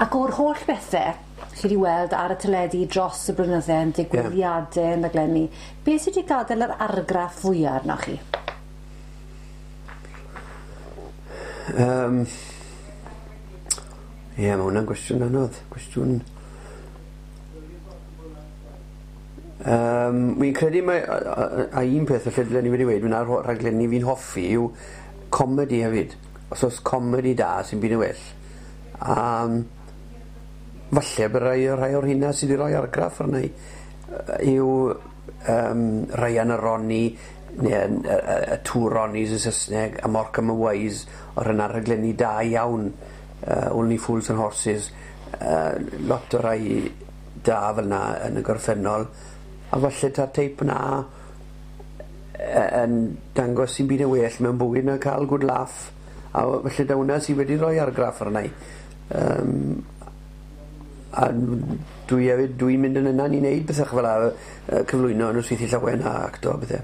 Ac o'r holl bethe chi 'di weld ar y teledu dros y blynydde yn digwyddiade yn raglenni, beth sy 'di gadel yr argraff fwya arnoch chi? Ie ma' wnna'n gwestiwn anodd cwestiwn wi'n credu mai a un peth falle dylen i wedi weud myn' 'na rhaglenni fi'n hoffi yw comedi hefyd. Os o's comedi da sim byd yn well. A falle bo' rai o rhai o'r rheina sy 'di roi argraff arna i yw Ryan a Ronnie ne' yn y Two Ronnies yn Sysneg a Morecambe and Wise o' rheina rhaglenni da iawn Only Fools and Horses lot o rai da fel 'na yn y gorffennol a falle ta'r teip 'na yn dangos sim byd yn well mewn bywyd na ca'l good laugh a falle taw wnna sy wedi roi argraff arna i. A dwi efyd dwi'n mynd yn ynan i neud pethe ch'el 'a cyflwyno nosweithie llawen a acto a pethe.